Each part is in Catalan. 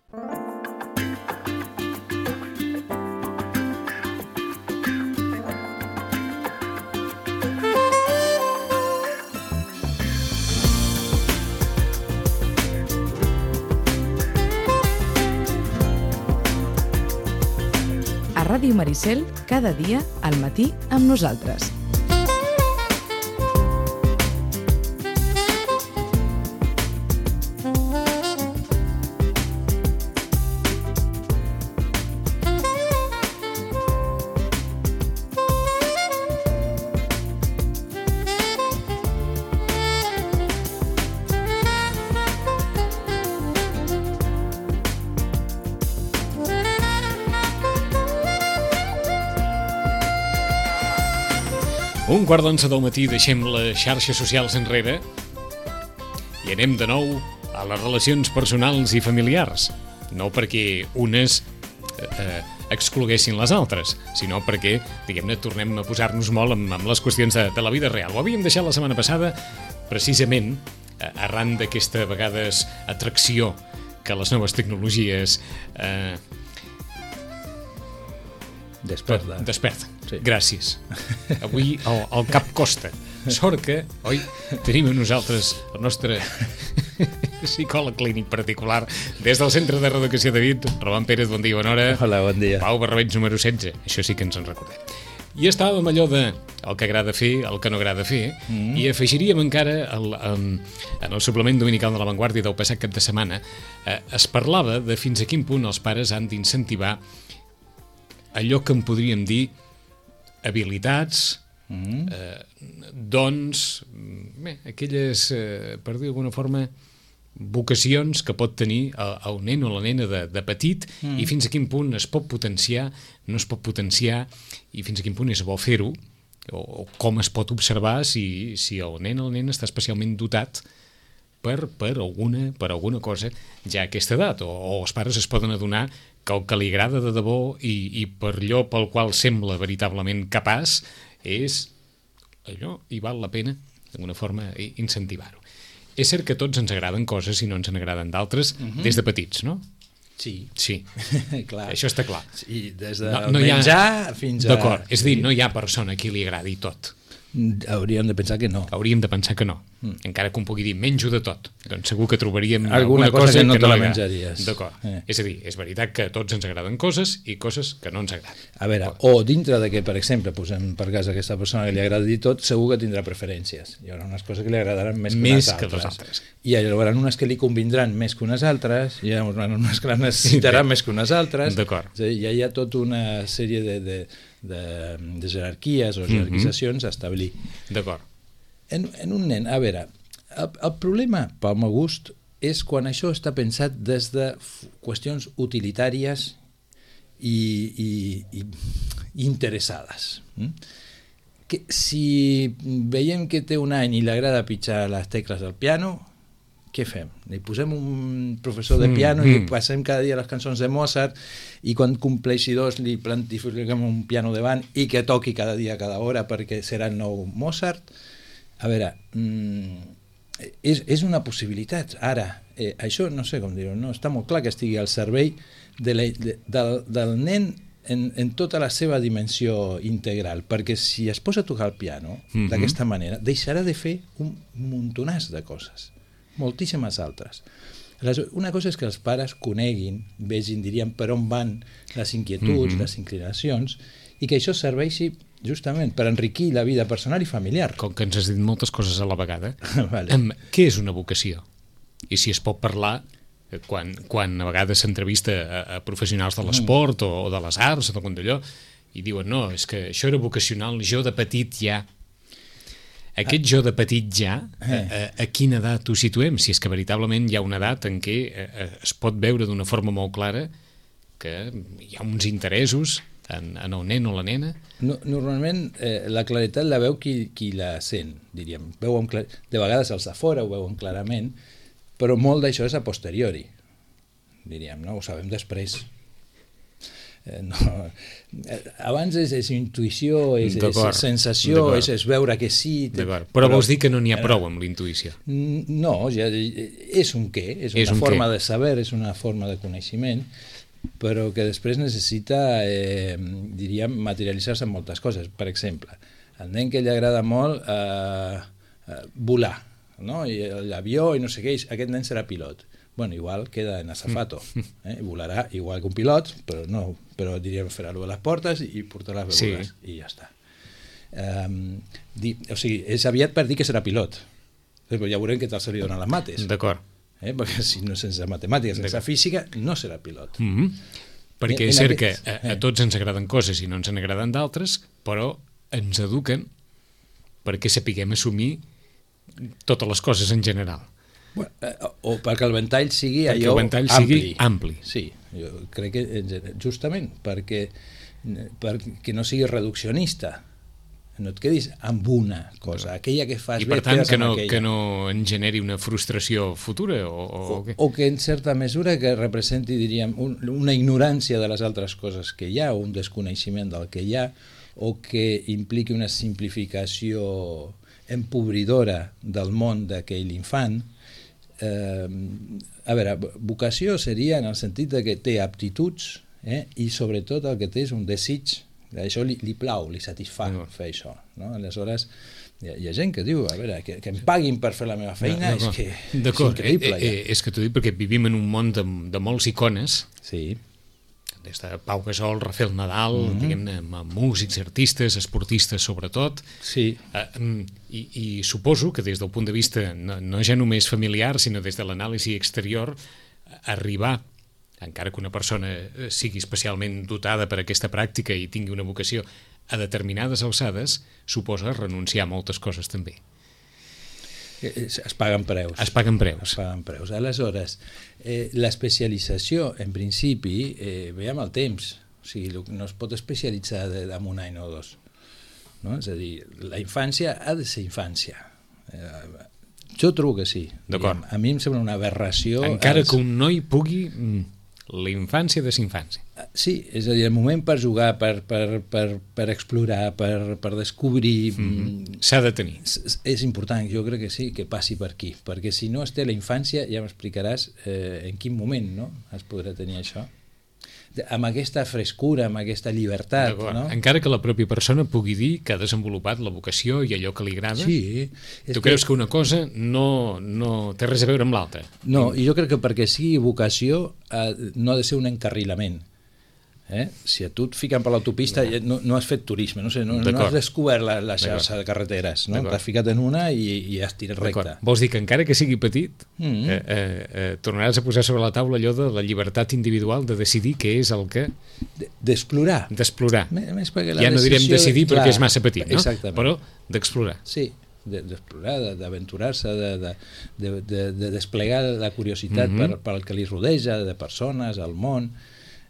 Ràdio Maricel, cada dia al matí amb nosaltres. Un quart d'11 del matí deixem les xarxes socials enrere i anem de nou a les relacions personals i familiars. No perquè unes excloguessin les altres, sinó perquè, diguem-ne, tornem a posar-nos molt amb les qüestions de la vida real. Ho havíem deixat la setmana passada, precisament, arran d'aquesta, a vegades, atracció que les noves tecnologies desperten. Sí. Gràcies. Avui el cap costa. Sort que, oi, tenim a nosaltres el nostre psicòleg clínic particular des del Centre de Reeducació de Vic, Roman Pérez, bon dia, bona hora. Hola, bon dia. Pau Barrabeig, número 16. Això sí que ens en recordem. I estàvem allò de el que agrada fer, el que no agrada fer, i afegiríem encara en el suplement dominical de La Vanguardia del passat cap de setmana, es parlava de fins a quin punt els pares han d'incentivar allò que en podríem dir habilitats, dons, aquelles, per dir d'alguna forma, vocacions que pot tenir el nen o la nena de petit i fins a quin punt es pot potenciar, no es pot potenciar i fins a quin punt és bo fer-ho o com es pot observar si el nen o la nena està especialment dotat per alguna cosa ja a aquesta edat o els pares es poden adonar que el que li agrada de debò i per allò pel qual sembla veritablement capaç és allò i val la pena d'alguna forma incentivar-ho. És cert que a tots ens agraden coses i no ens n'agraden d'altres des de petits, no? Sí. Clar. Això està clar. Sí, des de menjar fins a... D'acord, és a dir, no hi ha persona a qui li agradi tot. Hauríem de pensar que no. Hauríem de pensar que no. Encara que un pugui dir menjo de tot. Doncs segur que trobaríem alguna cosa que no te la menjaries. D'acord. És a dir, és veritat que a tots ens agraden coses i coses que no ens agraden. A veure, o dintre de que, per exemple, posem per cas a aquesta persona que li agradi tot, segur que tindrà preferències. Hi haurà unes coses que li agradaran més que les altres. I hi haurà unes que li convindran més que unes altres, hi haurà unes que la necessitaran més que unes altres. D'acord. Ja hi ha tota una sèrie de jerarquies o jerarquitzacions a establir. D'acord. En un nen, a veure, el problema, pel meu gust, és quan això està pensat des de qüestions utilitàries i interessades. Que si veiem que té un any i li agrada pitjar les tecles del piano, què fem? Li posem un professor de piano i li passem cada dia les cançons de Mozart i quan compleixi 2 li plantifiquem un piano davant i que toqui cada dia, cada hora perquè serà el nou Mozart. A veure, és una possibilitat. Ara, això no sé com dir-ho, no? Està molt clar que estigui al servei del nen en tota la seva dimensió integral, perquè si es posa a tocar el piano d'aquesta manera, deixarà de fer un muntonàs de coses, moltíssimes altres. Una cosa és que els pares coneguin, vegin, diríem, per on van les inquietuds, les inclinacions, i que això serveixi justament per enriquir la vida personal i familiar. Com que ens has dit moltes coses a la vegada, vale. Què és una vocació? I si es pot parlar, quan a vegades s'entrevista a professionals de l'esport o de les arts o d'allò, i diuen, no, és que això era vocacional, jo de petit ja... Aquest jo de petit ja, a quina edat ho situem? Si és que veritablement hi ha una edat en què es pot veure d'una forma molt clara que hi ha uns interessos en el nen o la nena? Normalment la claretat la veu qui la sent, diríem. De vegades els de fora ho veuen clarament, però molt d'això és a posteriori, diríem, no? Ho sabem després. Abans és intuïció, és sensació, és veure que sí. Però vols dir que no n'hi ha prou amb la intuïció? No, ja és un què, és una forma de saber, és una forma de coneixement, però que després necessita, diríem, materialitzar-se en moltes coses. Per exemple, al nen que li agrada molt volar, no? I l'avió i no sé què, aquest nen serà pilot. Bueno, igual queda en azafato, volarà igual que un pilot, però diríem farà-lo a les portes i portarà les begudes, i ja està. O sigui, és aviat per dir que serà pilot, però ja veurem què tal se li donen les mates. D'acord. Perquè si no sense matemàtiques, sense física, no serà pilot. Perquè és cert que a tots ens agraden coses i no ens n'agraden d'altres, però ens eduquen perquè sapiguem assumir totes les coses en general. O perquè el ventall sigui allò ampli. Sí, jo crec que justament perquè no sigui reduccionista, no et quedis amb una cosa, aquella que fas bé, i per tant que no en generi una frustració futura o que en certa mesura que representi, diríem, una ignorància de les altres coses que hi ha, o un desconeixement del que hi ha, o que impliqui una simplificació empobridora del món d'aquell infant. A veure, vocació seria en el sentit de que té aptituds, i sobretot el que té és un desig, això li plau, li satisfà fer això, no? Aleshores hi ha gent que diu, a veure, que em paguin per fer la meva feina, és increïble. És que t'ho dic perquè vivim en un món de molts icones, sí, des de Pau Gasol, Rafael Nadal, diguem-ne, músics, artistes, esportistes sobretot, i suposo que des del punt de vista no ja només familiar, sinó des de l'anàlisi exterior, arribar, encara que una persona sigui especialment dotada per aquesta pràctica i tingui una vocació a determinades alçades, suposa renunciar a moltes coses també. Es paguen preus. Es paguen preus. Aleshores, l'especialització, en principi, ve amb el temps. O sigui, no es pot especialitzar en un any o dos. No? És a dir, la infància ha de ser infància. Jo trobo que sí. D'acord. A mi em sembla una aberració... Encara que un noi pugui la infància de sa infància. Sí, és a dir, el moment per jugar, per explorar, per descobrir... S'ha de tenir. És important, jo crec que sí, que passi per aquí, perquè si no es té la infància ja m'explicaràs en quin moment es podrà tenir això. Amb aquesta frescura, amb aquesta llibertat. No? Encara que la pròpia persona pugui dir que ha desenvolupat la vocació i allò que li agrada, sí, tu creus que una cosa no té res a veure amb l'altra? No, i jo crec que perquè sigui vocació no ha de ser un encarrilament. Si a tu et fiquen per l'autopista no has fet turisme, no has descobert la xarxa de carreteres, no? T'has ficat en una i has tirat recte. Vols dir que encara que sigui petit tornaràs a posar sobre la taula allò de la llibertat individual de decidir què és el que... D'explorar. Ja no direm decidir perquè és massa petit, no? Però d'explorar. Sí, d'explorar, d'aventurar-se, de desplegar la curiositat per al que li rodeja, de persones, al món...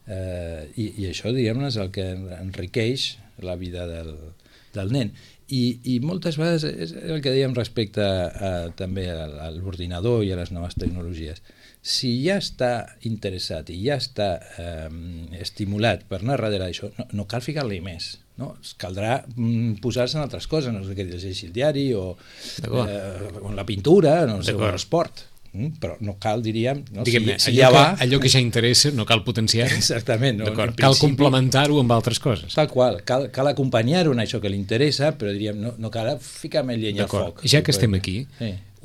I això, diguem-ne, és el que enriqueix la vida del nen. I moltes vegades és el que dèiem respecte també a l'ordinador i a les noves tecnologies. Si ja està interessat i ja està estimulat per anar darrere d'això, no cal ficar-li més. No? Caldrà posar-se en altres coses, no sé què llegeixi el diari o la pintura, no sé, o l'esport. Però no cal, diríem... Allò que ja interessa no cal potenciar. Exactament. Cal complementar-ho amb altres coses. Tal qual. Cal acompanyar-ho en això que li interessa, però diríem, no cal ficar més llenya al foc. Ja que estem aquí,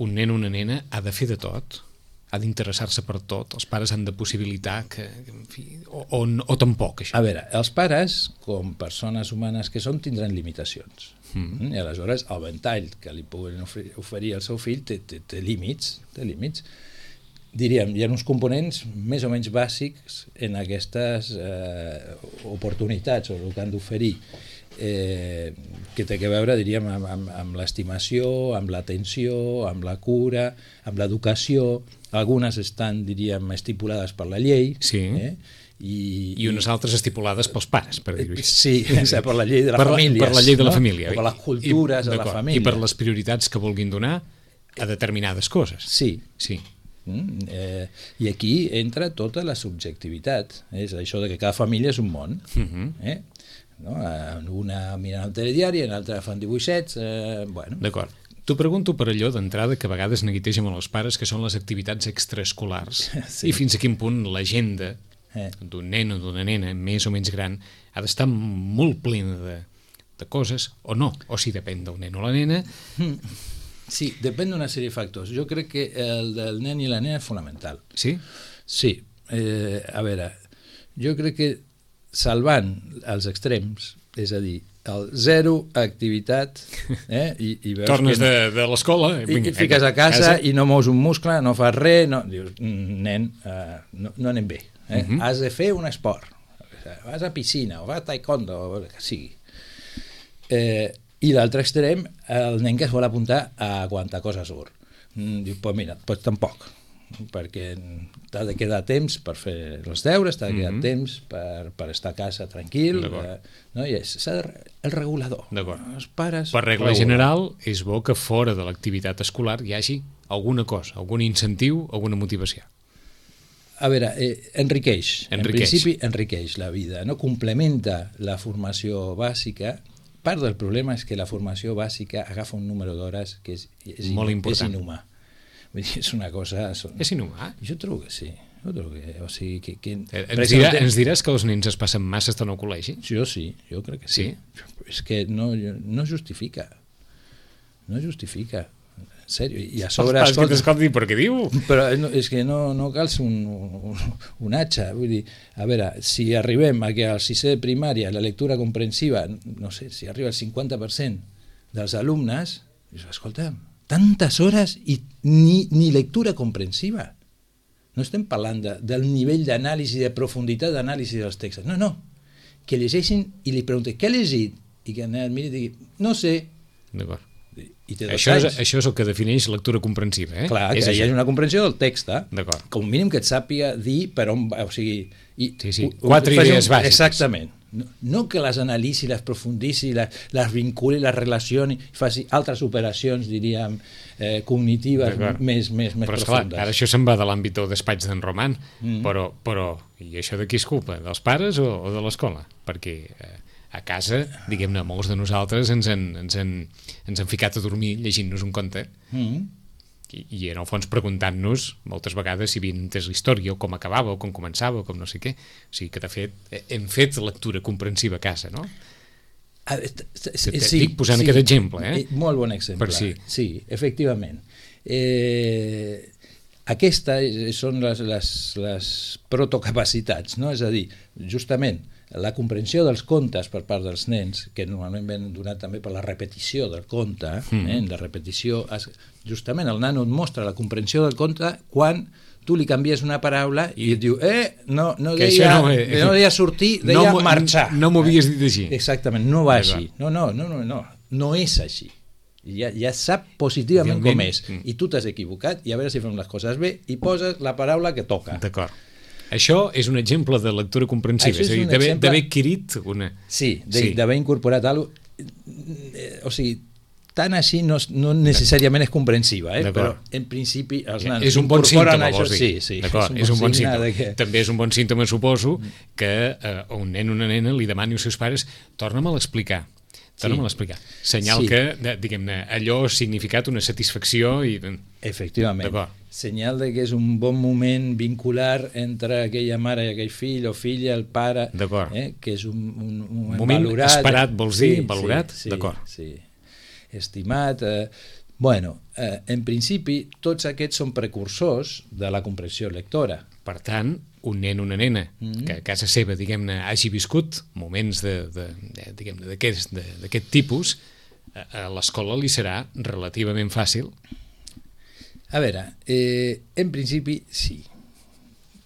un nen o una nena ha de fer de tot, ha d'interessar-se per tot, els pares han de possibilitar que, en fi, o tampoc, això. A veure, els pares, com persones humanes que són, tindran limitacions. I aleshores el ventall que li poden oferir al seu fill té límits. Diríem, hi ha uns components més o menys bàsics en aquestes oportunitats o el que han d'oferir, que té a veure, diríem, amb l'estimació, amb l'atenció, amb la cura, amb l'educació. Algunes estan, diríem, estipulades per la llei, i unes altres estipulades pels pares, per dir-ho així. Sí, per la llei de la família. Per la llei de la família. O per les cultures de la família. I per les prioritats que vulguin donar a determinades coses. Sí. I aquí entra tota la subjectivitat. És això de que cada família és un món. No? Una miren el telediari, en l'altra fan dibuixets. Bueno. D'acord. T'ho pregunto per allò d'entrada que a vegades neguiteja amb els pares, que són les activitats extraescolars. Sí. I fins a quin punt l'agenda d'un nen o d'una nena més o menys gran ha d'estar molt plena de coses, o no, o si depèn del nen o la nena. Sí, depèn d'una sèrie de factors. Jo crec que el del nen i la nena és fonamental. Sí? Sí. A veure, jo crec que salvant els extrems, és a dir, el zero activitat i veus tornes de l'escola i fiques a casa i no mous un muscle, no fas res, dius, nen, no anem bé. Has de fer un esport, vas a piscina o vas a taekwondo o el que sigui. I l'altre extrem, el nen que es vol apuntar a quanta cosa surt. Diu, pues mira, pues tampoc, perquè t'ha de quedar temps per fer els deures, t'ha de quedar temps per estar a casa tranquil, no? I és el regulador. Els pares per regla general, és bo que fora de l'activitat escolar hi hagi alguna cosa, algun incentiu, alguna motivació. A veure, enriqueix. En principi enriqueix la vida, no? Complementa la formació bàsica. Part del problema és que la formació bàsica agafa un número d'hores que és inhumà. Vull dir, és una cosa... És inhumà? Jo trobo que sí. O sigui, ens diràs que els nens es passen massa estona al col·legi? Jo sí, jo crec que sí. És que no justifica. No justifica. En sèrio. I a sobre... Els pares que t'escoltin per què diu? Però és que no cals un atxa. Vull dir, a veure, si arribem a que al sisè de primària la lectura comprensiva, no sé, si arriba al 50% dels alumnes, escolta'm, tantes hores i ni lectura comprensiva. No estem parlant del nivell d'anàlisi, de profunditat d'anàlisi dels textos. No. Que llegeixin i li pregunten què ha llegit? I que el miri i digui, no sé. D'acord. Això és el que defineix lectura comprensiva, Clar, que hi hagi una comprensió del text. D'acord. Com a mínim que et sàpiga dir per on va, o sigui... Sí. 4 idees bàsiques. Exactament. No que les analitzi, les profundissi, les vinculi, les relacioni, faci altres operacions, diríem, cognitives més profundes. Però esclar, ara això se'n va de l'àmbit del despatx d'en Roman, però i això de qui és culpa? Dels pares o de l'escola? Perquè a casa, diguem-ne, molts de nosaltres ens han ficat a dormir llegint-nos un conte i en el fons preguntant-nos moltes vegades si havien entès la història o com acabava o com començava o com no sé què. O sigui que de fet hem fet lectura comprensiva a casa, no? Estic posant aquest exemple. Molt bon exemple. Sí, efectivament. Aquestes són les protocapacitats, no? És a dir, justament la comprensió dels contes per part dels nens, que normalment ven donat també per la repetició del conte, la repetició, justament el nano et mostra la comprensió del conte quan tu li canvies una paraula i et diu, no deia sortir, deia marxar. No m'ho havies dit així. Exactament, no va així. No és així. Ja sap positivament com és. I tu t'has equivocat i a veure si fem les coses bé i poses la paraula que toca. D'acord. Això és un exemple de lectura comprensiva, és a dir, d'haver adquirit una... Sí, d'haver incorporat alguna cosa. O sigui, tant així no necessàriament és comprensiva, però en principi els nanos és un bon símptoma, vols dir. Sí, és un bon símptoma. També és un bon símptoma, suposo, que a un nen o una nena li demani als seus pares torna'm-la a explicar. Senyal que, diguem-ne, allò ha significat una satisfacció i... Efectivament. Senyal de que és un bon moment vincular entre aquella mare i aquell fill o filla, el pare, que és un moment valorat. Esperat, vols dir? Valorat? D'acord. Sí, estimat. Bueno, en principi, tots aquests són precursors de la comprensió lectora. Per tant, un nen o una nena que a casa seva, diguem-ne, hagi viscut moments d'aquest tipus, a l'escola li serà relativament fàcil. A veure, en principi sí,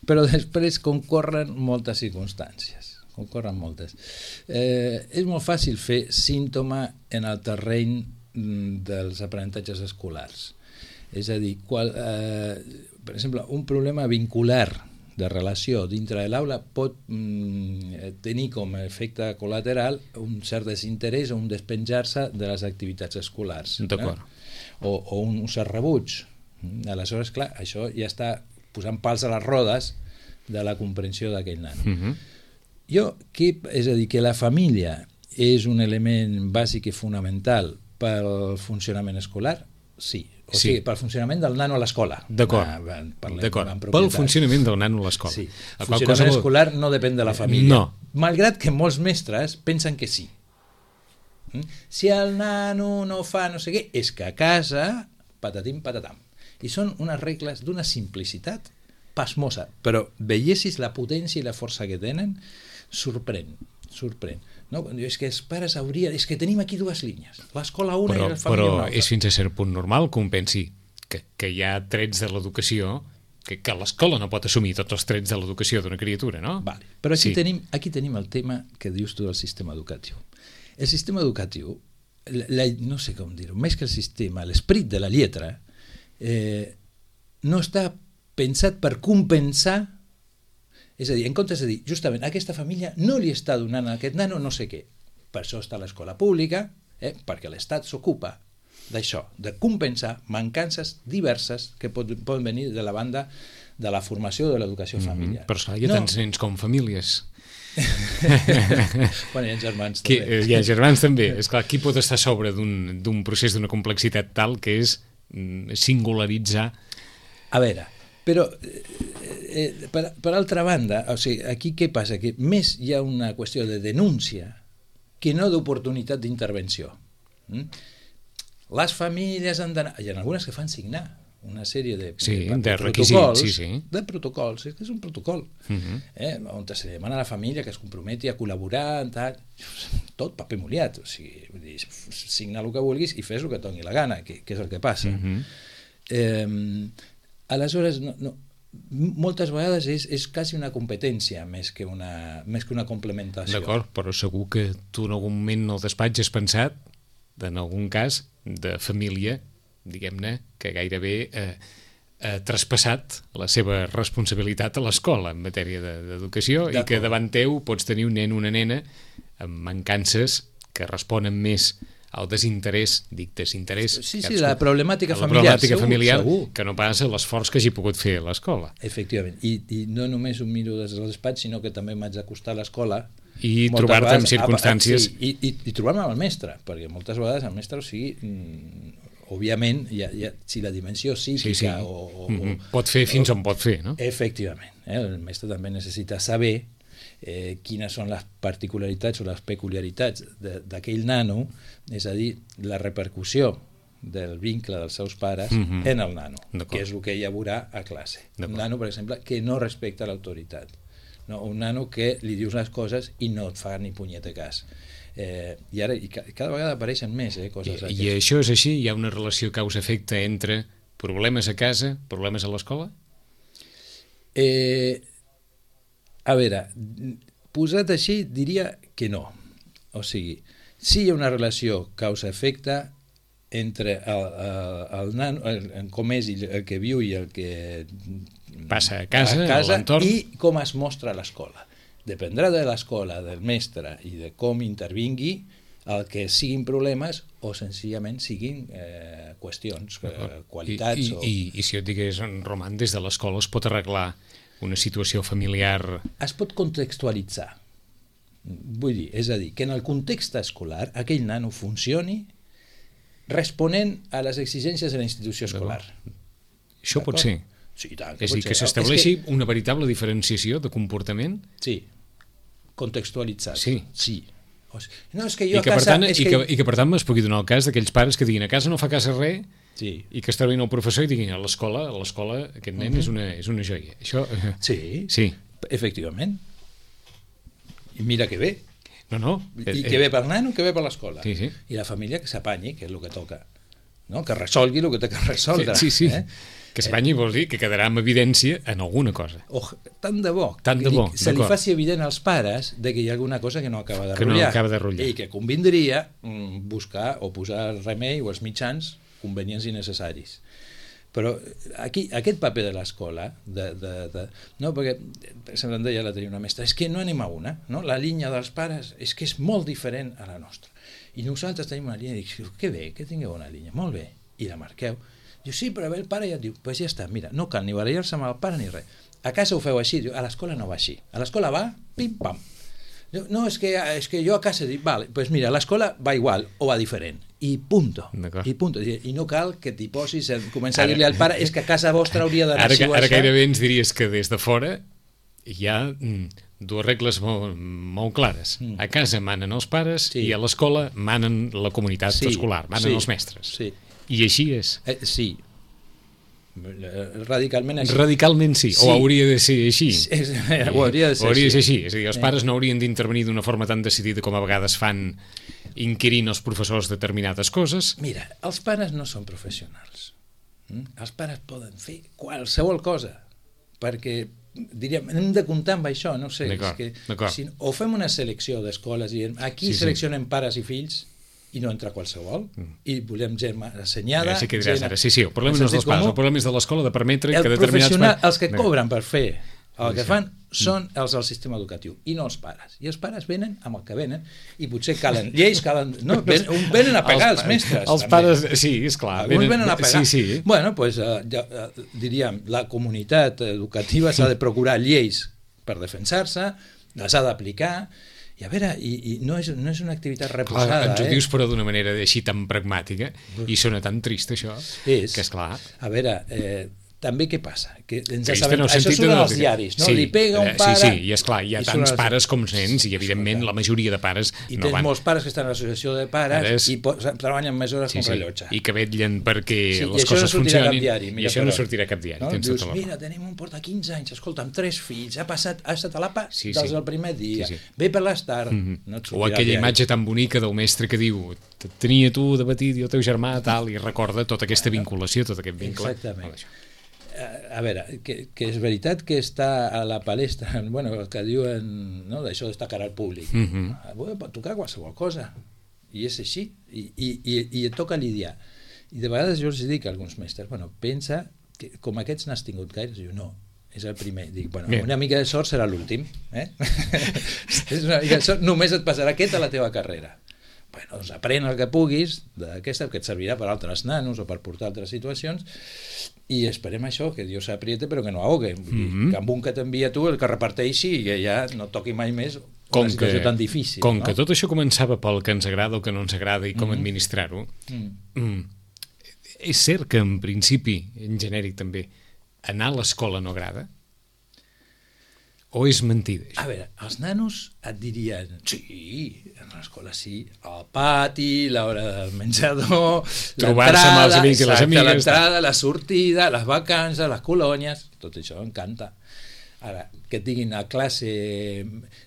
però després concorren moltes circumstàncies. És molt fàcil fer símptoma en el terreny dels aprenentatges escolars. És a dir, per exemple, un problema vincular de relació dintre de l'aula pot tenir com a efecte col·lateral un cert desinterès o un despenjar-se de les activitats escolars. D'acord. O un cert rebuig. Aleshores, clar, això ja està posant pals a les rodes de la comprensió d'aquell nano. És a dir, que la família és un element bàsic i fonamental pel funcionament escolar, sí. O sigui, pel funcionament del nano a l'escola. D'acord. Pel funcionament del nano a l'escola. Sí. El funcionament escolar no depèn de la família. No. Malgrat que molts mestres pensen que sí. Si el nano no fa no sé què, és que a casa, patatim, patatam. I són unes regles d'una simplicitat pasmosa, però veiessis la potència i la força que tenen, sorprèn. No? És que els pares haurien... És que tenim aquí dues línies, l'escola una i la família una altra. Però és fins a cert punt normal que un pensi que hi ha trets de l'educació, que l'escola no pot assumir tots els trets de l'educació d'una criatura, no? Vale. Però aquí tenim el tema que dius tu del sistema educatiu. El sistema educatiu, no sé com dir-ho, més que el sistema, l'esperit de la lletra, no està pensat per compensar. És a dir, en comptes de dir, justament, aquesta família no li està donant a aquest nano no sé què. Per això està l'escola pública, perquè l'Estat s'ocupa d'això, de compensar mancances diverses que poden venir de la banda de la formació de l'educació familiar. Però esclar, hi ha tants nens com famílies. Bueno, hi ha germans també. Hi ha germans també. Esclar, qui pot estar a sobre d'un procés d'una complexitat tal que és singularitzar? A veure, però per altra banda, o sigui, aquí què passa? Que més hi ha una qüestió de denúncia que no d'oportunitat d'intervenció. Les famílies han d'anar... Hi ha algunes que fan signar una sèrie de requisits, de protocols, és un protocol on se demana a la família que es comprometi a col·laborar, tot paper mullat, o sigui, signa el que vulguis i fes el que et doni la gana, que és el que passa. Aleshores, moltes vegades és quasi una competència més que una complementació. D'acord, però segur que tu en algun moment al despatx has pensat, en algun cas, de família, diguem-ne, que gairebé ha traspassat la seva responsabilitat a l'escola en matèria d'educació i que davant teu pots tenir un nen o una nena amb mancances que responen més al desinterès, la problemàtica familiar, segur. Que no passa l'esforç que hagi pogut fer a l'escola. Efectivament, i no només ho miro des del despatx, sinó que també m'haig d'acostar a l'escola i trobar-te en circumstàncies... I trobar-me amb el mestre, perquè moltes vegades el mestre, òbviament, si la dimensió psíquica pot fer fins on pot fer, no? Efectivament, el mestre també necessita saber quines són les particularitats o les peculiaritats d'aquell nano, és a dir, la repercussió del vincle dels seus pares en el nano, que és el que ella veurà a classe. Un nano, per exemple, que no respecta l'autoritat, un nano que li dius les coses i no et fa ni punyeta cas. I ara cada vegada apareixen més coses d'aquestes. I això és així? Hi ha una relació causa-efecte entre problemes a casa, problemes a l'escola? A veure, posat així diria que no. O sigui, sí hi ha una relació causa-efecte entre el nano, com és el que viu i el que passa a casa l'entorn, i com es mostra a l'escola. Dependrà de l'escola, del mestre i de com intervingui el que siguin problemes o senzillament siguin qüestions, qualitats. I si jo et digués, Roman, des de l'escola es pot arreglar una situació familiar? Es pot contextualitzar. Vull dir, és a dir, que en el context escolar aquell nano funcioni responent a les exigències de la institució escolar. Això pot ser? Sí, tant. És a dir, que s'estableixi una veritable diferenciació de comportament? Sí, contextualitzat. Sí. No, és que jo a casa... I que per tant es pugui donar el cas d'aquells pares que diguin a casa no fa cas a res i que es trobin el professor i diguin a l'escola aquest nen és una joia. Això... Sí, efectivament. I mira que bé. I que bé per nano, que bé per l'escola. I la família que s'apanyi, que és el que toca. Que resolgui el que té que resoldre. Sí. Que s'apanyi vol dir que quedarà amb evidència en alguna cosa. Tant de bo. Se li faci evident als pares que hi ha alguna cosa que no acaba de rotllar. I que convindria buscar o posar remei o els mitjans convenients i necessaris. Però aquí, aquest paper de l'escola, no, perquè sempre em deia la tenia una mestra, és que no anem a una, no? La línia dels pares és que és molt diferent a la nostra. I nosaltres tenim una línia i dic, que bé, que tingueu una línia, molt bé, i la marqueu. Diu, sí, però el pare ja et diu, pues ja està, mira, no cal ni barallar-se amb el pare ni res. A casa ho feu així? Diu, a l'escola no va així. A l'escola va, pim-pam. Diu, no, és que jo a casa dic, vale, pues mira, a l'escola va igual o va diferent. I punto. I punto. I no cal que t'hi posis a començar a dir-li al pare és que a casa vostra hauria d'anar així o Ara això. gairebé ens diries que des de fora hi ha dues regles molt clares. A casa manen els pares i a l'escola manen la comunitat escolar, manen els mestres. I així és. Sí. Radicalment així. Radicalment sí, o hauria de ser així. O hauria de ser així. És a dir, els pares no haurien d'intervenir d'una forma tan decidida com a vegades fan inquirint els professors determinades coses. Mira, els pares no són professionals. Els pares poden fer qualsevol cosa, perquè diríem, hem de comptar amb això, no sé, és que o fem una selecció d'escoles i aquí seleccionem pares i fills i no entra qualsevol, i volem gent assenyada. Sí que diràs ara, el problema no és dels pares, el problema és de l'escola de permetre que determinats... Els que cobren per fer el que fan són els del sistema educatiu i no els pares. I els pares venen amb el que venen i potser calen lleis, venen a pegar els mestres. Els pares, sí, esclar. Alguns venen a pegar. Bueno, doncs diríem, la comunitat educativa s'ha de procurar lleis per defensar-se, les ha d'aplicar. I a veure, no és una activitat reposada. Ens ho dius però d'una manera així tan pragmàtica i sona tan trist això, que és clar. A veure, també què passa? Que això surt als diaris, no? Li pega un pare... Sí, i esclar, hi ha tants pares com nens i evidentment la majoria de pares no van. I tens molts pares que estan a l'associació de pares i treballen més hores com rellotge. I que vetllen perquè les coses funcionin i això no sortirà a cap diari. Dius, mira, tenim un porta 15 anys, escolta, amb 3 fills, ha estat a l'APA des del primer dia, ve per les tardes... O aquella imatge tan bonica del mestre que diu tenia tu de petit i el teu germà tal, i recorda tota aquesta vinculació, tot aquest vincle. Exactament. A veure, que és veritat que està a la palestra, bueno, el que diuen, no, d'això d'estar cara al públic. Pot tocar qualsevol cosa, i és així, i et toca lidiar. I de vegades jo els dic a alguns mestres, bueno, pensa que com aquests n'has tingut gaire, diu, no, és el primer. Dic, bueno, una mica de sort serà l'últim. Només et passarà aquest a la teva carrera. Bueno, doncs aprèn el que puguis d'aquesta, que et servirà per altres nanos o per portar altres situacions, i esperem això, que Dios apriete però que no ahogue, que amb un que t'envia tu el que reparteixi i que ja no toqui mai més una situació tan difícil. Com que tot això començava pel que ens agrada o que no ens agrada i com administrar-ho, és cert que en principi, en genèric també, anar a l'escola no agrada? O és mentida, això? A veure, els nanos et dirien sí, a l'escola sí, al pati, l'hora del menjador, trobar-se amb els amics i les amigues, l'entrada, la sortida, les vacances, les colònies, tot això encanta. Ara, que et diguin a classe,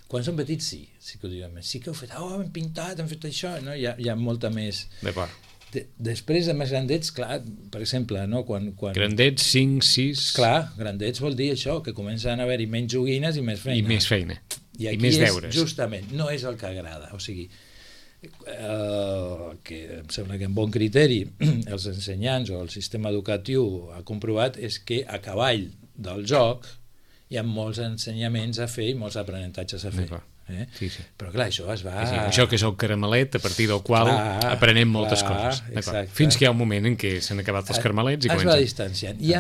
quan són petits sí que ho diuen, sí que heu fet, hem pintat, hem fet això, no? Hi ha molta més... D'acord. Després de més grandets, clar, per exemple, no? Quan... Grandets, 5, 6... Clar, grandets vol dir això, que comencen a haver-hi menys joguines i més feina. I més feina. I més deures. Justament, no és el que agrada. O sigui, que em sembla que amb bon criteri els ensenyants o el sistema educatiu ha comprovat és que a cavall del joc hi ha molts ensenyaments a fer i molts aprenentatges a fer. Sí. Però clar, això es va... Això que és el caramelet a partir del qual aprenem moltes coses. Fins que hi ha un moment en què s'han acabat els caramelets i es va distanciant. I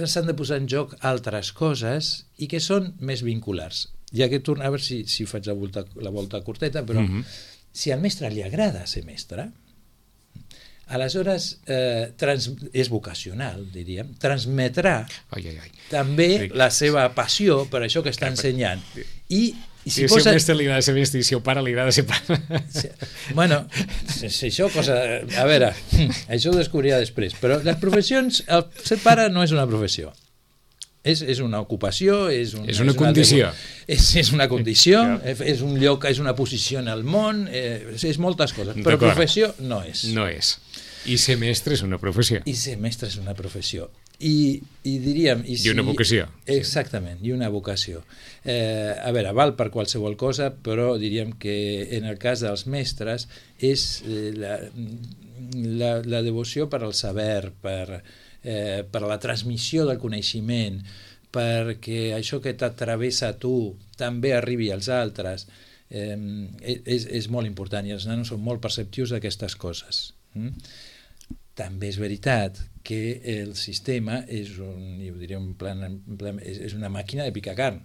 s'han de posar en joc altres coses i que són més vinculars. Ja que torna, a veure si faig la volta curteta, però si al mestre li agrada ser mestre, aleshores és vocacional, diríem, transmetrà també la seva passió per això que està ensenyant. Si al mestre li agrada ser mestre i si al pare li agrada ser pare... Bueno, això cosa... A veure, això ho descobrirà després, però les professions, ser pare no és una professió. És una ocupació, és una condició. És una condició, és un lloc, és una posició en el món, és moltes coses, però professió no és. No és. I ser mestre és una professió. I ser mestre és una professió. I diríem... I una vocació. Exactament, i una vocació. A veure, val per qualsevol cosa, però diríem que en el cas dels mestres és la devoció per al saber, per la transmissió del coneixement, perquè això que t'atravessa a tu també arribi als altres, és molt important i els nanos són molt perceptius d'aquestes coses. també és veritat que el sistema és és una màquina de picar carn.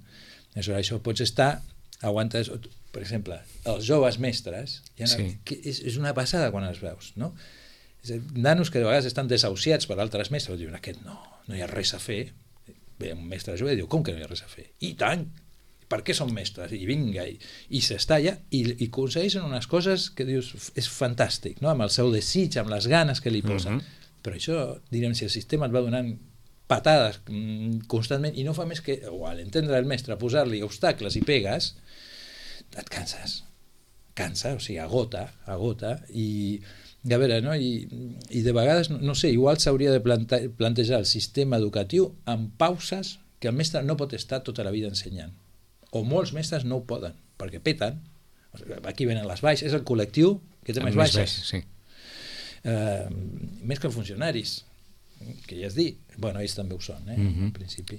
Això pots estar, aguantes, per exemple, els joves mestres, és una passada quan els veus, no? Nanos que de vegades estan desahuciats per altres mestres, diuen, aquest no hi ha res a fer. Ve un mestre jove i diu, com que no hi ha res a fer? I tant! Per què són mestres? I vinga, i s'estalla, i aconsegueixen unes coses que dius, és fantàstic, no? Amb el seu desig, amb les ganes que li posen. Però això, direm, si el sistema et va donant patades constantment i no fa més que, o a l'entendre el mestre, posar-li obstacles i pegues, et cansa, o sigui, agota, i a veure, no? I de vegades, no sé, igual s'hauria de plantejar el sistema educatiu amb pauses que el mestre no pot estar tota la vida ensenyant. O molts mestres no ho poden, perquè peten. Aquí venen les baixes, és el col·lectiu que té més baixes. Sí. Més que funcionaris, que ja has dit. Bueno, ells també ho són, en principi.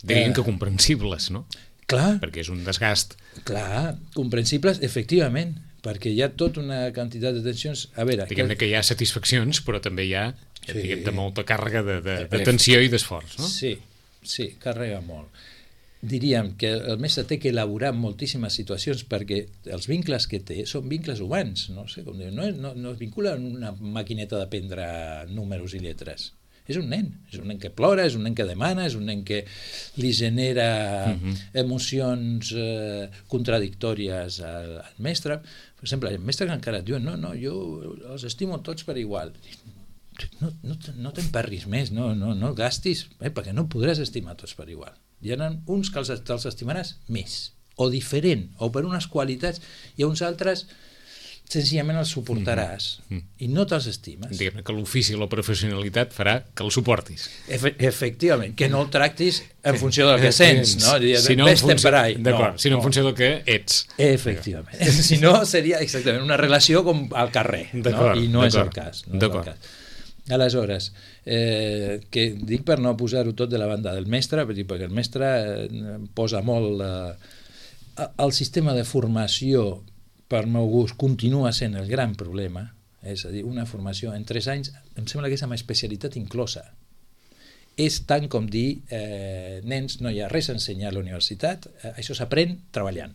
Dirien que comprensibles, no? Clar. Perquè és un desgast. Clar, comprensibles, efectivament, perquè hi ha tota una quantitat de tensions. A veure... Diguem-ne que hi ha satisfaccions, però també hi ha de molta càrrega de tensió i d'esforç, no? Sí, càrrega molt. Diríem que el mestre té que elaborar moltíssimes situacions perquè els vincles que té són vincles humans, no sé com dir, no es vincula en una maquineta d'aprendre números i lletres. És un nen que plora, és un nen que demana, és un nen que li genera emocions contradictòries al mestre. Per exemple, el mestre que encara et diu, no, jo els estimo tots per igual. No t'emperris més, no gastis, perquè no podràs estimar tots per igual. Hi ha uns que els estimaràs més, o diferent, o per unes qualitats, i a uns altres senzillament els suportaràs i no te'ls estimes. Diguem que l'ofici i la professionalitat farà que el suportis. Efectivament, que no el tractis en funció del que sents, no? Sinó en funció del que ets. Efectivament. Si no, seria exactament una relació com al carrer, i no és el cas. Aleshores, que dic per no posar-ho tot de la banda del mestre, perquè el mestre posa molt el sistema de formació, per meu gust, continua sent el gran problema, és a dir, una formació en 3 anys, em sembla que és amb especialitat inclosa. És tant com dir, nens, no hi ha res a ensenyar a la universitat, això s'aprèn treballant.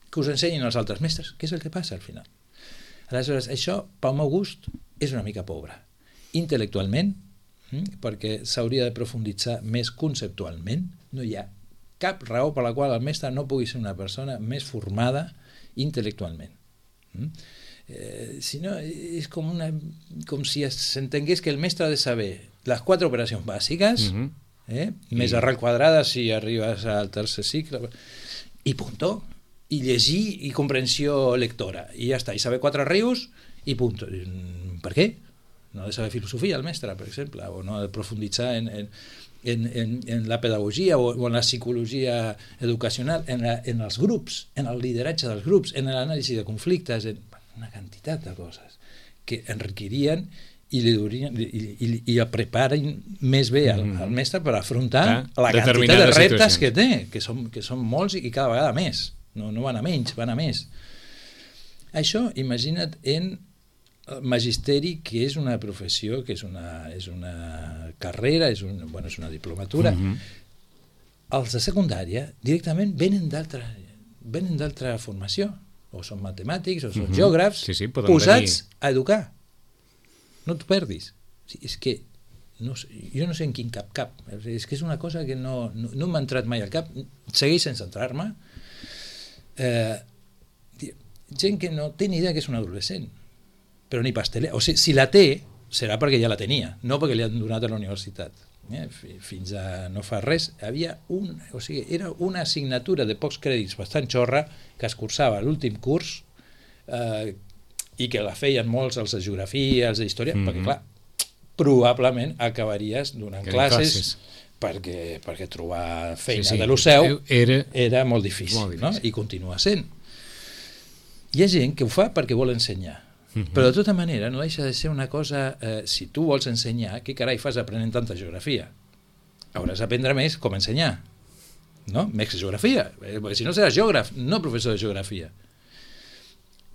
Que us ensenyin els altres mestres, què és el que passa al final? Aleshores, això, pel meu gust, és una mica pobre. Intel·lectualment, perquè s'hauria de profunditzar més conceptualment, no hi ha cap raó per la qual el mestre no pugui ser una persona més formada intel·lectualment. Si no, és com si s'entengués que el mestre ha de saber les 4 operacions bàsiques, més arrel quadrada si arribes al tercer cicle, i punto, i llegir i comprensió lectora, i ja està, i saber 4 rius, i punto. Per què? No ha de saber filosofia el mestre, per exemple, o no ha de profunditzar en la pedagogia o en la psicologia educacional, en els grups, en el lideratge dels grups, en l'anàlisi de conflictes, en una quantitat de coses que enriquirien i el preparen més bé al mestre per afrontar la quantitat de reptes que té, que són molts i cada vegada més. No van a menys, van a més. Això, imagina't en magisteri, que és una professió, que és una carrera, és una diplomatura. Els de secundària directament venen d'altra formació, o són matemàtics, o són geògrafs, posats a educar. No t'ho perdis. És que jo no sé en quin cap. És que és una cosa que no m'ha entrat mai al cap. Segueix sense entrar-me. Gent que no té ni idea que és un adolescent, però ni pasteler. O sigui, si la té, serà perquè ja la tenia, no perquè li han donat a la universitat. Fins a no fa res, era una assignatura de pocs crèdits bastant xorra que es cursava a l'últim curs i que la feien molts els de geografia, els d'història, perquè clar, probablement acabaries donant classes perquè trobar feina de l'UCEU era molt difícil, no? I continua sent. Hi ha gent que ho fa perquè vol ensenyar, però de tota manera no deixa de ser una cosa, si tu vols ensenyar, què carai fas aprenent tanta geografia? Hauràs d'aprendre més com ensenyar, no? Més geografia, perquè si no seràs geògraf, no professor de geografia.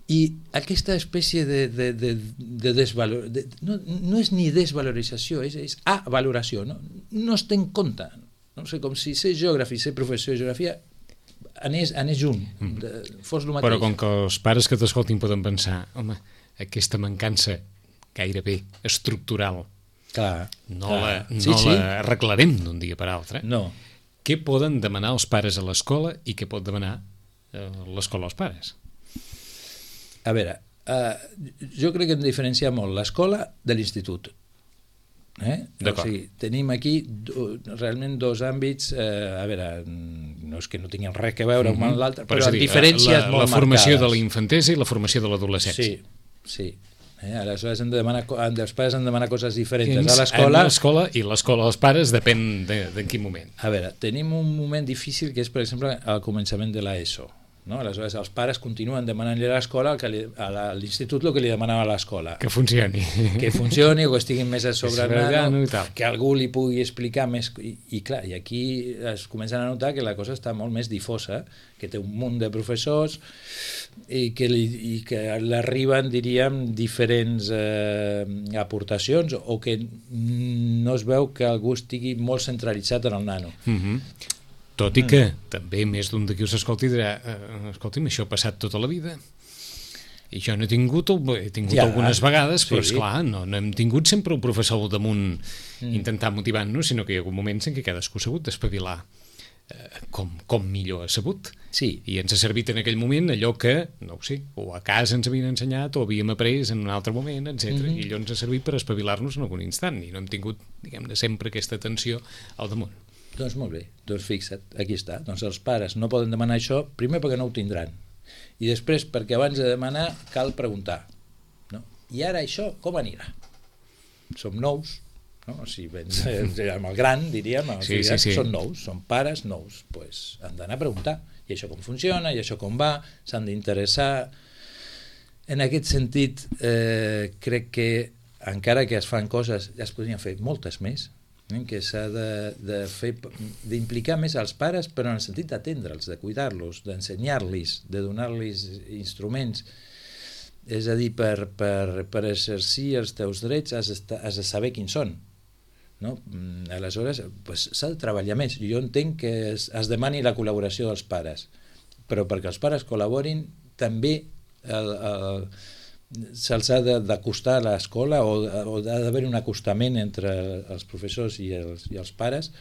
I aquesta espècie de no és ni desvalorització, és avaloració, no es té en compte. No sé, com si ser geògraf i ser professor de geografia anés junt, fos el mateix. Però com que els pares que t'escoltin poden pensar, home, aquesta mancança gairebé estructural no la arreglarem d'un dia per altre. No. Què poden demanar els pares a l'escola i què pot demanar l'escola als pares? A veure, jo crec que hem de diferenciar molt l'escola de l'institut. O sigui, tenim aquí realment dos àmbits, a veure, no és que no tinguin res a veure un amb l'altre, però amb diferències molt marcades. La formació de la infantesa i la formació de l'adolescència. Sí. Aleshores els pares han de demanar coses diferents a l'escola. I l'escola als pares depèn d'en quin moment. A veure, tenim un moment difícil que és, per exemple, al començament de l'ESO. No? Aleshores els pares continuen demanant-li a l'escola a l'institut el que li demanava a l'escola, que funcioni o que estiguin més a sobre el nano, que algú li pugui explicar més, i clar, i aquí es comencen a notar que la cosa està molt més difosa, que té un munt de professors i que l'arriben, diríem, diferents aportacions, o que no es veu que algú estigui molt centralitzat en el nano. Tot i que també més d'un d'aquí us escolti dirà, escolti'm, això ha passat tota la vida i jo no he tingut algunes vegades, però esclar, no hem tingut sempre un professor al damunt intentant motivar-nos, sinó que hi ha hagut moments en què cadascú s'ha hagut d'espavilar com millor ha sabut, i ens ha servit en aquell moment allò que, no ho sé, o a casa ens havien ensenyat o havíem après en un altre moment, etc. I allò ens ha servit per espavilar-nos en algun instant i no hem tingut, diguem-ne, sempre aquesta atenció al damunt. Doncs molt bé, doncs fixa't, aquí està. Doncs els pares no poden demanar això, primer perquè no ho tindran, i després perquè abans de demanar cal preguntar. No? I ara això com anirà? Som nous, no? Si vens amb el gran, diríem, són nous, són pares nous, doncs han d'anar a preguntar, i això com funciona, i això com va, s'han d'interessar. En aquest sentit, crec que encara que es fan coses, ja es podrien fer moltes més, que s'ha d'implicar més als pares, però en el sentit d'atendre'ls, de cuidar-los, d'ensenyar-los, de donar-los instruments. És a dir, per exercir els teus drets has de saber quins són. No? Aleshores, s'ha de treballar més. Jo entenc que es demani la col·laboració dels pares, però perquè els pares col·laborin també se'ls ha d'acostar a l'escola, o ha d'haver un acostament entre els professors i els pares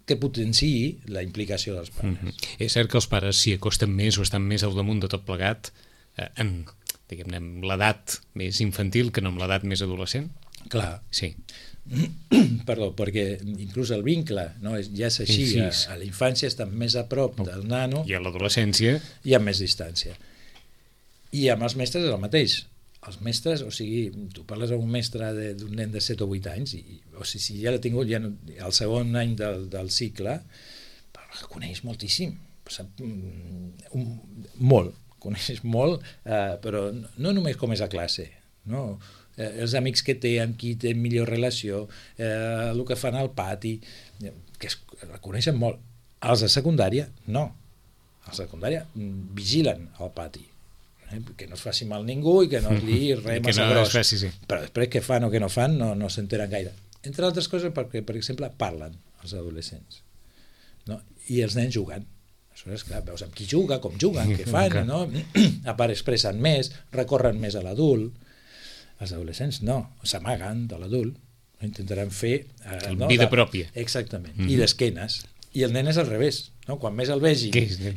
que potenciï la implicació dels pares. És cert que els pares s'hi acosten més o estan més al damunt de tot plegat en l'edat més infantil que no en l'edat més adolescent? Clar. Sí. Perdó, perquè inclús el vincle ja és així, a la infància estan més a prop del nano i a l'adolescència i amb més distància. I amb els mestres és el mateix. Els mestres, o sigui, tu parles amb un mestre d'un nen de 7 o 8 anys, o sigui, si ja l'ha tingut el segon any del cicle, coneix moltíssim, coneix molt, però no només com és a classe, no? Els amics que té, amb qui té millor relació, el que fan al pati, que el coneixen molt. Els de secundària, no. Els de secundària vigilen al pati, que no es faci mal ningú i que no es liï res massa gros, però després què fan o què no fan no s'enteren gaire, entre altres coses perquè, per exemple, parlen els adolescents, no? I els nens juguen, aleshores clar, veus amb qui juga, com juguen, què fan, no? A part expressen més, recorren més a l'adult. Els adolescents no, s'amaguen de l'adult, intentaran fer vida pròpia, exactament, i d'esquenes. I el nen és al revés, no? Quan més el vegi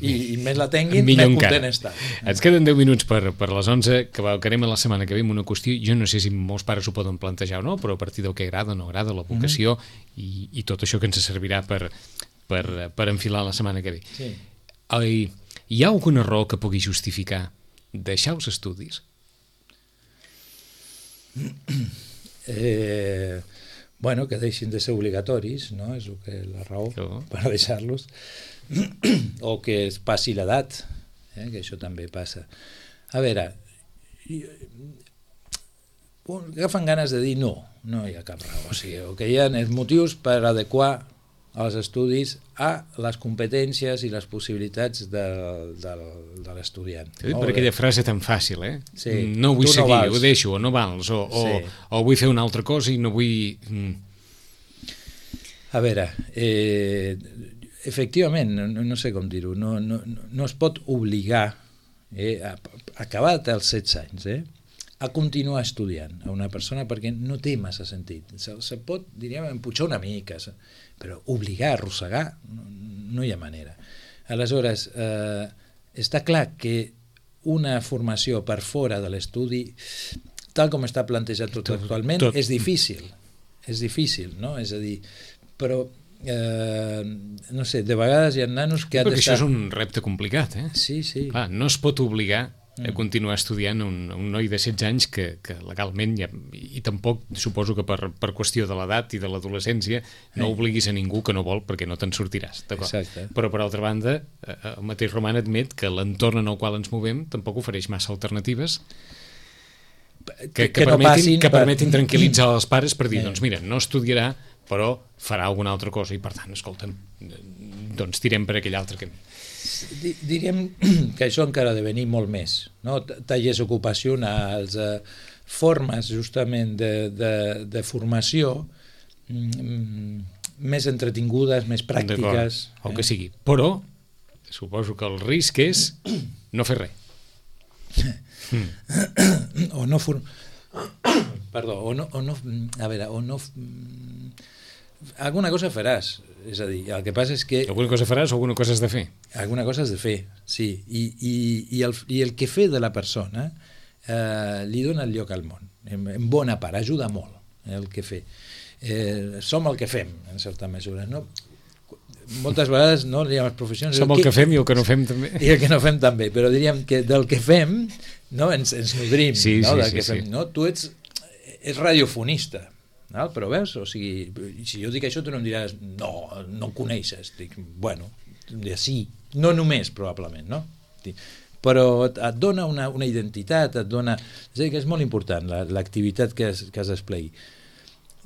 i més la tinguin, més content està. Ens queden 10 minuts per les 11, que anem a la setmana que ve amb una qüestió, jo no sé si molts pares ho poden plantejar o no, però a partir del que agrada o no agrada, la vocació i tot això que ens servirà per enfilar la setmana que ve. Sí. Hi ha alguna raó que pugui justificar deixar els estudis? Bueno, que deixin de ser obligatoris, no? És la raó per deixar-los, o que es passi l'edat, que això també passa. A veure, agafen ganes de dir no hi ha cap raó, o sigui, que hi ha els motius per adequar als estudis a les competències i les possibilitats de l'estudiant. T'ho dic per aquella frase tan fàcil, Sí. No vull Tu no seguir, vals. ho deixo, o no vals, o vull fer una altra cosa i no vull... A veure, efectivament, no sé com dir-ho, no es pot obligar, acabat els 16 anys, a continuar estudiant a una persona perquè no té massa sentit. Se pot, diríem, empujar una mica, però obligar, arrossegar, no hi ha manera. Aleshores, està clar que una formació per fora de l'estudi, tal com està plantejat tot actualment, és difícil. És difícil, no? És a dir, però no sé, de vegades hi ha nanos que han perquè d'estar... això és un repte complicat, Sí, sí. Clar, no es pot obligar a continuar estudiant un noi de 16 anys que legalment i tampoc suposo que per qüestió de l'edat i de l'adolescència no obliguis a ningú que no vol perquè no te'n sortiràs, d'acord? Exacte. Però per altra banda el mateix Roman admet que l'entorn en el qual ens movem tampoc ofereix massa alternatives que permetin tranquil·litzar els pares per dir, doncs mira, no estudiarà però farà alguna altra cosa i per tant, escolta'm, doncs tirem per aquell altre camí. Diríem que això encara ha de venir molt més, no? Tallers ocupacionals, formes justament de formació més entretingudes, més pràctiques. El que sigui, però suposo que el risc és no fer res. O no perdó, o no a veure, o no alguna cosa faràs, és a dir, el que passa és que alguna cosa faràs o alguna cosa has de fer? Alguna cosa has de fer, sí, i el que fer de la persona li dona el lloc al món, en bona part, ajuda molt el que fer. Som el que fem, en certa mesura, no? Moltes vegades no diríem les professions... Som el que fem i el que no fem també. I el que no fem també, però diríem que del que fem no, ens nodrim, sí, no? Sí, del que sí, fem. sí. No? Tu ets radiofonista, no? Però veus, o sigui, si jo dic això tu no em diràs no coneixes, dic, bueno, sí, no només probablement, no? Però et dona una identitat, et dona... És a dir, que és molt important l'activitat que es desplegui.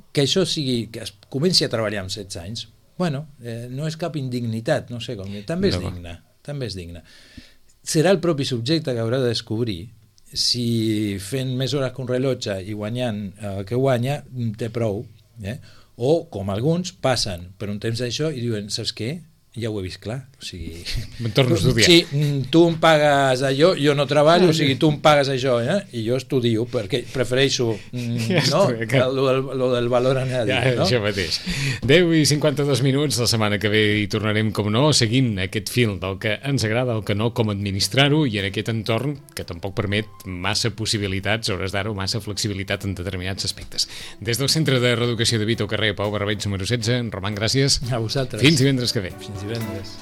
Que això sigui, que es comenci a treballar amb 16 anys, bueno, no és cap indignitat, no sé com dir, també és digne. Serà el propi subjecte que haurà de descobrir si fent més hores que un rellotge i guanyant el que guanya té prou, o com alguns passen per un temps d'això i diuen, saps què? Ja ho he vist clar, o sigui... Me'n torno a estudiar. Sí, tu em pagues allò, jo no treballo, o sigui, tu em pagues això, i jo estudio, perquè prefereixo lo del valor añadido, no? Això mateix. 10 i 52 minuts, la setmana que ve hi tornarem, com no, seguint aquest fil del que ens agrada, el que no, com administrar-ho, i en aquest entorn que tampoc permet massa possibilitats, hores d'ara, o massa flexibilitat en determinats aspectes. Des del Centre de Reeducació de Vito, carrer Pau Barbeig, número 16, Roman, gràcies. A vosaltres. Fins divendres que ve. Fins divendres.